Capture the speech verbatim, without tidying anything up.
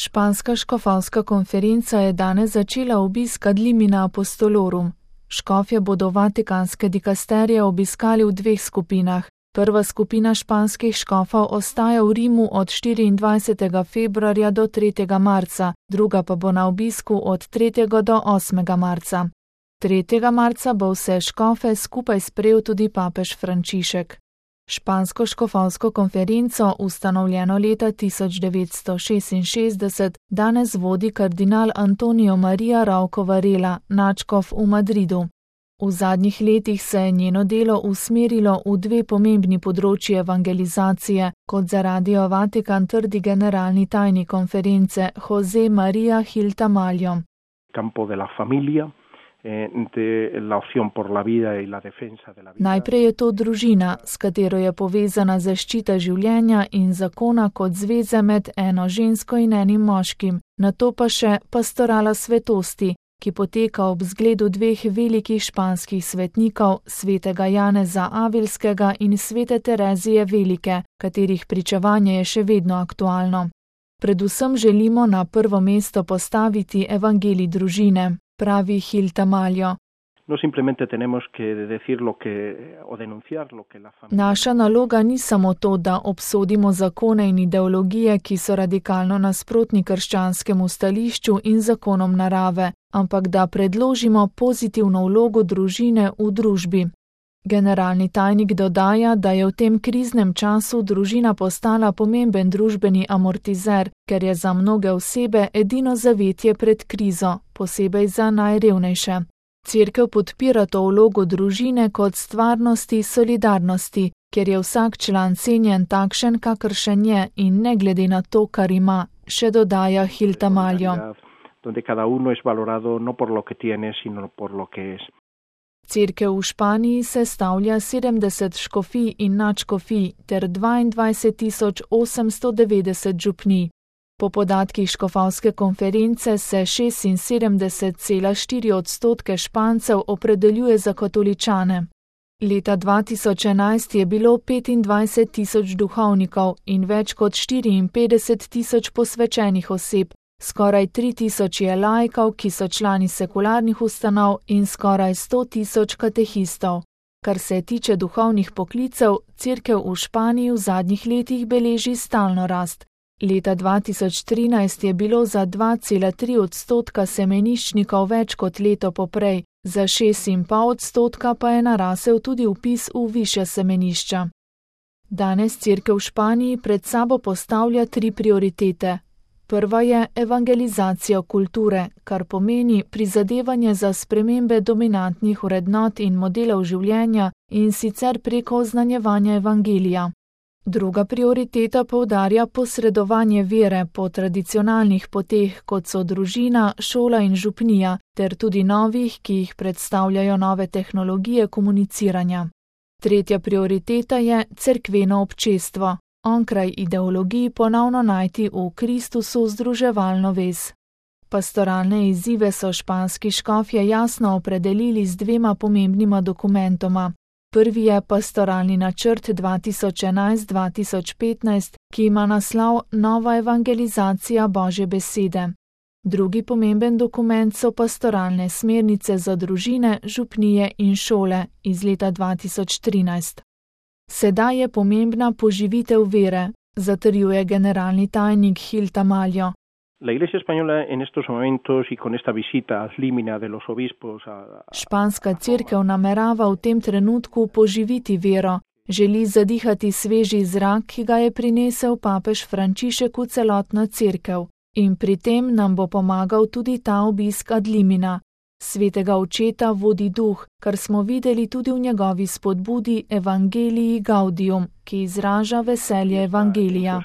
Španska škofovska konferenca je danes začela obisk ad limina apostolorum. Škofje bodo vatikanske dikasterije obiskali v dveh skupinah. Prva skupina španskih škofov ostaja v Rimu od štiriindvajsetega februarja do tretjega marca, druga pa bo na obisku od tretjega do osmega marca. tretjega marca bo vse škofe skupaj sprejel tudi papež Frančišek. Špansko škofovsko konferenco, ustanovljeno leta tisoč devetsto šestinšestdeset, danes vodi kardinal Antonio Maria Rouco Varela, nadškof v Madridu. V zadnjih letih se je njeno delo usmerilo v dve pomembni področji evangelizacije, kot za Radio Vatikan trdi generalni tajnik konference José María Gil Tamayo. Campo de la familia. Najprej je to družina, s katero je povezana zaščita življenja in zakona kot zveze med eno žensko in enim moškim, nato pa še pastorala svetosti, ki poteka ob zgledu dveh velikih španskih svetnikov, svetega Janeza Avilskega in svete Terezije Velike, katerih pričevanje je še vedno aktualno. Predvsem želimo na prvo mesto postaviti evangelij družine, pravi Gil Tamayo. No simplemente tenemos que decir lo que o denunciar lo que la familia. Naša naloga ni samo to, da obsodimo zakone in ideologije, ki so radikalno nasprotni krščanskemu stališču in zakonom narave, ampak da predložimo pozitivno vlogo družine v družbi. Generalni tajnik dodaja, da je v tem kriznem času družina postala pomemben družbeni amortizer, ker je za mnoge osebe edino zavetje pred krizo, posebej za najrevnejše. Cerkev podpira to vlogo družine kot stvarnosti solidarnosti, ker je vsak član cenjen takšen, kakršen je in ne glede na to, kar ima, še dodaja Gil Tamayo. Donde cada uno es valorado no por lo que tiene, sino por lo que es. Cerkev v Španiji sestavlja sedemdeset škofij in nadškofij ter dvaindvajset tisoč osemsto devetdeset župnij. Po podatkih škofovske konference se šestinsedemdeset cela štiri odstotke Špancev opredeljuje za katoličane. Leta dva tisoč enajst je bilo petindvajset tisoč duhovnikov in več kot štiriinpetdeset tisoč posvečenih oseb. Skoraj tri tisoč je laikov, ki so člani sekularnih ustanov, in skoraj sto tisoč katehistov. Kar se tiče duhovnih poklicev, cerkev v Španiji v zadnjih letih beleži stalno rast. Leta dva tisoč trinajst je bilo za dva cela tri odstotka semeniščnikov več kot leto poprej, za šest in pol odstotka pa je narasel tudi vpis v višja semenišča. Danes cerkev v Španiji pred sabo postavlja tri prioritete. Prva je evangelizacija kulture, kar pomeni prizadevanje za spremembe dominantnih vrednot in modelov življenja in sicer preko oznanjevanja evangelija. Druga prioriteta poudarja posredovanje vere po tradicionalnih poteh, kot so družina, šola in župnija, ter tudi novih, ki jih predstavljajo nove tehnologije komuniciranja. Tretja prioriteta je cerkveno občestvo. Onkraj ideologiji ponovno najti v Kristusu združevalno vez. Pastoralne izzive so španski škofje jasno opredelili z dvema pomembnima dokumentoma. Prvi je pastoralni načrt dva tisoč enajst do dva tisoč petnajst, ki ima naslov Nova evangelizacija Božje besede. Drugi pomemben dokument so pastoralne smernice za družine, župnije in šole iz leta dva tisoč trinajst. Sedaj je pomembna poživitev vere, zatrjuje generalni tajnik Gil Tamayo. La Iglesia española en estos momentos y con esta visita ad limina de los obispos a... Španska cerkev namerava v tem trenutku poživiti vero, želi zadihati sveži zrak, ki ga je prinesel papež Frančišek v celotno cerkev, in pri tem nam bo pomagal tudi ta obisk ad limina. Svetega očeta vodi duh, kar smo videli tudi v njegovi spodbudi Evangelii Gaudium, ki izraža veselje evangelija.